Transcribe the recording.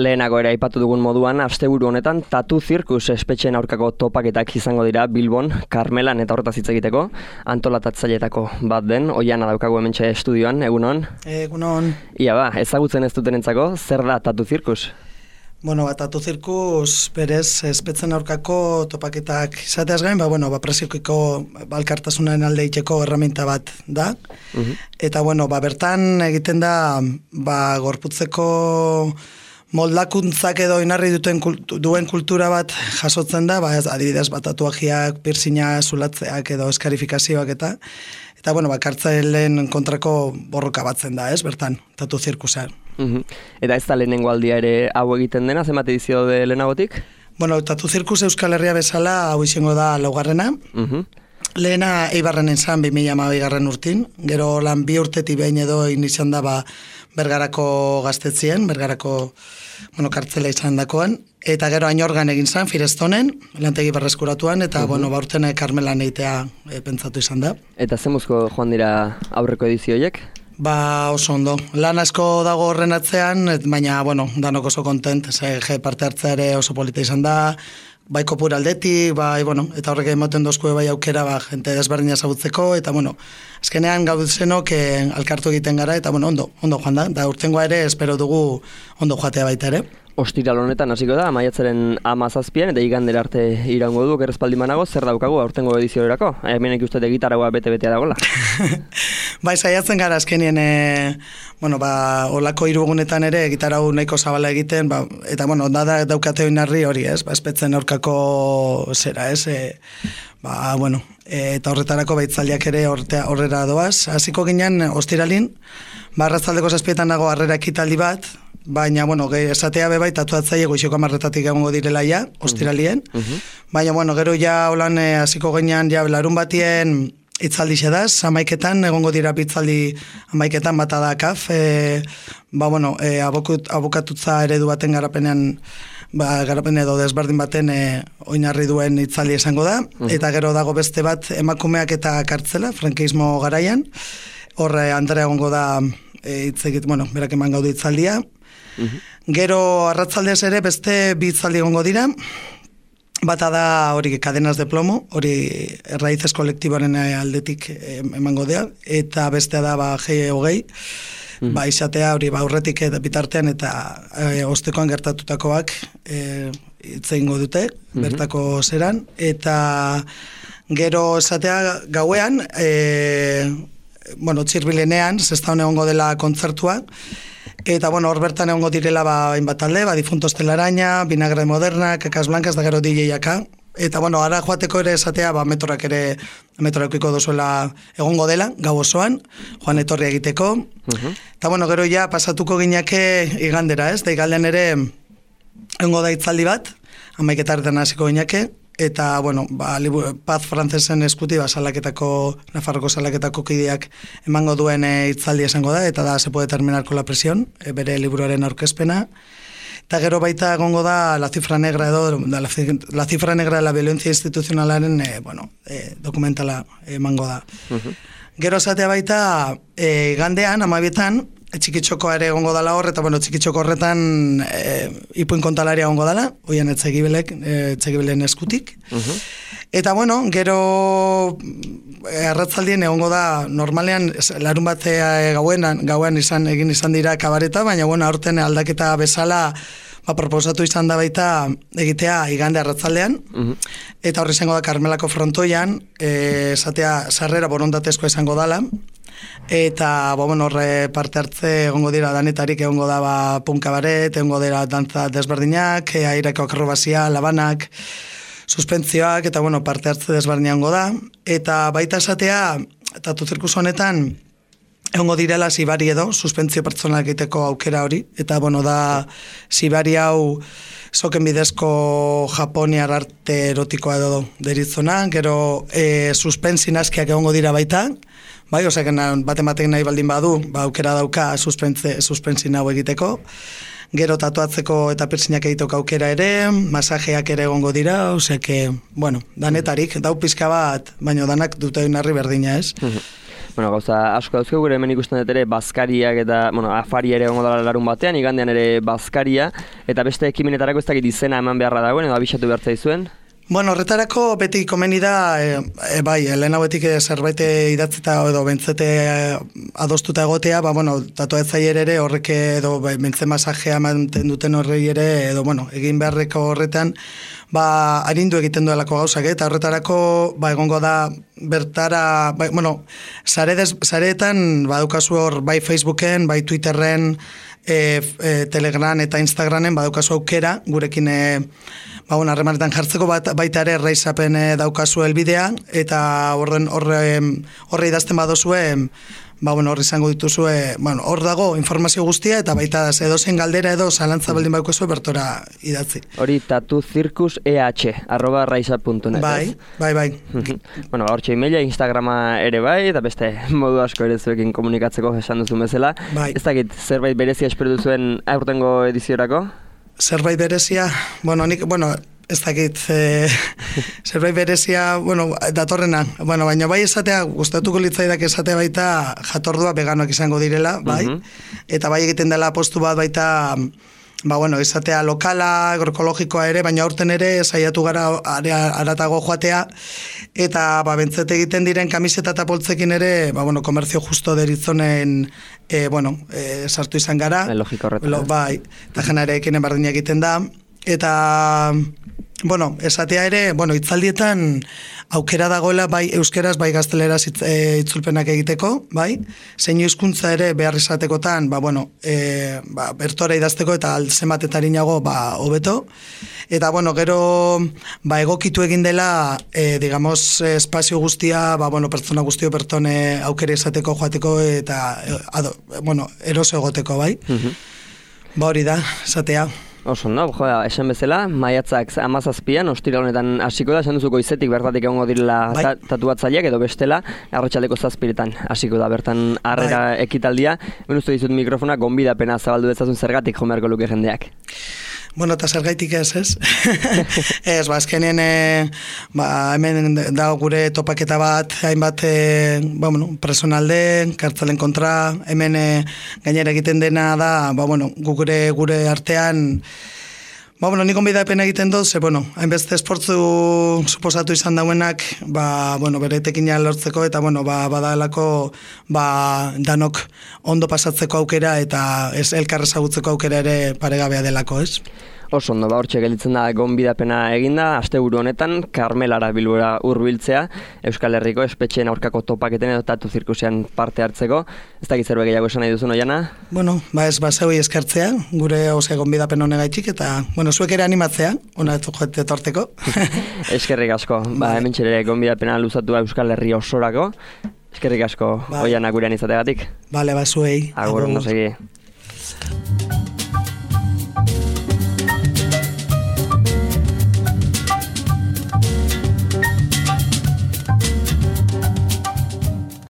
Lehenago ere aipatu dugun moduan, asteburu honetan Tatu Zirkus espetxeen aurkako topaketak izango dira Bilbon, Karmelan eta horretaz hitz egiteko, antolatatzaileetako bat den, Oiana daukagu hementxe estudioan, egunon? Egunon. Ia ezagutzen ez dutenentzako, zer da Tatu Zirkus? Bueno, Tatu Zirkus berez espetzen aurkako topaketak izateaz gain, preziokiko balkartasunaren alde itxeko erraminta bat da. Eta bertan egiten da gorputzeko moldakuntzak edo inarri duen kultura bat jasotzen da, adibidez tatuajiak, piercina, zulatzeak edo eskarifikazioak eta kartzaileen kontrako borroka batzen da, bertan, Tatu Zirkusa. Eta ez da lehenengo aldia ere hau egiten dena, zenbat edizio de lehenagotik? Tatu Zirkus Euskal Herria bezala hau izango da laugarrena. Lehena Eibarren izan 2012 urtin, gero lan 2 urtetik behin edo izan da Bergarako gaztetzien, Bergarako kartzela izan dakoan, eta gero Añorgan egin zan, Firestonen, lantegi berreskuratuan, eta baurten Karmelan egitea pentsatu izan da. Eta zemuzko joan dira aurreko edizioiek? Oso ondo. Lan asko dago horren atzean, baina, danok oso kontent, parte hartzea ere oso polita izan da, bai kopur aldetik, eta horrek emoten dozkue aukera, jente desberdina ezagutzeko, eta, azkenean gauzenok alkartu egiten gara, eta, ondo joan da, da urtengoa ere, espero dugu ondo joatea baita ere. Ostiral honetan hasiko da, maiatzaren 17 eta igandera arte iraungo du, gerrezpaldimanago, zer daukagu aurtengo ediziorako? Hemen ikuste gitaragoa bete-betea dagoela. Saiatzen gara azkenien, olako 3 egunetan ere gitarau nahiko zabala egiten, eta da daukate oinarri hori, espetzen aurkako zera, eta horretarako baitzaliak ere horrera doaz. Hasiko ginen ostiralin, arratzaldeko 7etan dago harrera ekitaldi bat, baina, esatea bebai tatuatzaile goizeko 10 egongo direla ja, ostiralien, baina, gero ja holan hasiko ginen larun batien itzaldi xedaz, 11etan egongo dira bitzaldi 11etan bata da kaf, abokatutza eredu baten garapenean, garapen edo desberdin baten oinarri duen itzaldi esango da, eta gero dago beste bat emakumeak eta kartzela, frankismo garaian, hor Andrea egongo da berak eman gaudu itzaldia. Gero arratzaldez ere beste 2 itzaldi egongo dira, bata da hori Cadenas de Plomo, hori Raíces kolektiboaren aldetik emango dira, eta bestea da G20, izatea hori aurretik bitartean eta ostekoan gertatutakoak hitz egingo dute, bertako zeran, eta gero esatea gauean, Txirbilenean, zestaun egongo dela kontzertua, eta hor bertan egongo direla hainbat talde, Difuntos Telaraña, Vinagre Moderna, Kakas Blancas, da gero DJ-aka, eta ara joateko ere esatea metrorak ere metroekiko dozuela egongo dela, gau osoan, joan etorri egiteko, eta gero ja pasatuko gineke igandera, da igaldean ere egongo da itzaldi bat, 11etan hasiko gineke, eta, Paz Frantzesen eskuti, Nafarroko salaketako kideak emango duen itzaldi esango da, eta da Se puede terminar con la presión, bere liburuaren aurkezpena. Eta gero baita egongo da La cifra negra edo, La cifra negra de la violencia institucionalaren, dokumentala emango da. Gero esatea baita, gandean, 12etan, txikitxoko ere egongo dala hor, eta txikitxoko horretan ipuin kontalaria egongo dala, oian etxegibilen eskutik. Eta gero arratzaldien egongo da, normalean larun bat gauean egin izan dira kabareta, baina aurten aldaketa bezala proposatu izan da baita egitea igande arratzaldean, eta horri izango da Karmelako frontoian, esatea sarrera borondatezko izango dala, eta horre parte hartze egongo dira danetarik, egongo da punkabaret, egongo dira dantza desberdinak, aireko akrobazia, labanak, suspentzioak, eta parte hartze desberdinak egongo da, eta baita esatea, Tatu Zirkus honetan egongo direla zibari edo, suspentzio pertsonal egiteko aukera hori, eta da zibari hau soken bidezko japoniar arte erotikoa edo deritzona, gero suspensi naskiak egongo dira baita, baten nahi baldin badu, aukera dauka suspensi hau egiteko, gero tatuatzeko eta piercingak egiteko aukera ere, masajeak ere egongo dira, danetarik, dau pizka bat, baina danak dute oinarri berdina, ez? Bueno, gauza asko dauzke gure hemen ikusten dut ere bazkariak eta, bueno, afari ere egongo dela larun batean, igandean ere bazkaria, eta beste ekimenetarako ez dakit izena eman beharra dagoen, edo abisatu behar zaizuen? Bueno, horretarako beti komeni da, bai, lehen hauetik zerbait idatzita edo bentzete adostuta egotea, bueno, tatuatzaile ere horrek edo bentze masajea manten duten horrei ere, edo, egin beharreko horretan, arindu egiten duelako gauzak, eta horretarako, egongo da, bertara, sareetan, badukazu hor, bai Facebooken, bai Twitterren, Telegram eta Instagramen, badukazu aukera, gurekin, harremanetan jartzeko baita ere Raisapen daukazu helbidea, eta horre idazten badozue, horri izango dituzue, hor dago informazio guztia, eta baita edozein galdera edo zalantza baldin badukazu bertora idatzi. Hori tatuzirkus@raisa.net. Bai. Bueno, hortxe emaila, Instagrama ere bai, eta beste modu asko ere zuekin komunikatzeko esan duzu bezala. Bai. Ez dakit, zerbait berezia espero duzuen aurtengo ediziorako? Zerbait berezia, ez dakit, zerbait berezia, datorrena, baina bai esatea, gustatuko litzaidak esatea baita jatordua veganoak izango direla, bai, eta bai egiten dela apostu bat baita, esatea lokala, agroekologikoa ere, baina aurten ere saiatu gara aratago joatea, eta bentzete egiten diren kamiseta eta poltzekin ere, komerzio justo deritzonen, sartu izan gara. Logiko horretan. Bai, eta jena ere ekinen berdina egiten da, eta, esatea ere, hitzaldietan aukera dagoela bai euskeraz, bai gazteleraz itzulpenak egiteko, bai, zein hizkuntza ere behar izatekotan, bertora idazteko eta zenbatetarinago hobeto, eta gero egokitu egin dela, espazio guztia, pertsona guztio pertone aukera izateko joateko eta, eroso egoteko, bai. Hori da, esatea. Oso, no? Esan bezala, maiatzak 17an, ostira honetan hasiko da, esan duzu goizetik bertatik egongo direla tatuatzaileak edo bestela, arratsaldeko 7 hasiko da, bertan harrera ekitaldia. Uztu dizut mikrofona, gonbidapena zabaldu dezazun zergatik jo beharko luke jendeak. Eta zergaitik ez? Ez, azkenean, hemen da gure topaketa bat, hainbat, personalde, kartzalen kontra, hemen gainera egiten dena da, gure artean, nik gonbidapen egiten dut, hainbeste esportzu suposatu izan dauenak, bere etekina lortzeko, eta, badalako, danok ondo pasatzeko aukera, eta ez elkarrezagutzeko aukera ere paregabea delako, ez? Oso ondo, hortxe gelditzen da gonbidapena eginda, asteburu honetan, Karmelara Bilbora hurbiltzea, Euskal Herriko espetxeen aurkako topaketen edo tatu zirkusean parte hartzeko. Ez dakit zerbait gehiago esan nahi duzun, Oiana? Ez zeui eskertzea, gure gonbidapen honegaitxik, eta, zuek ere animatzea, hona ez joete torteko. Eskerrik asko, hemen txere gonbidapena luzatu Euskal Herri osorako. Eskerrik asko, Oiana gurean izategatik. Bale, zuei. Agur, ondo segi.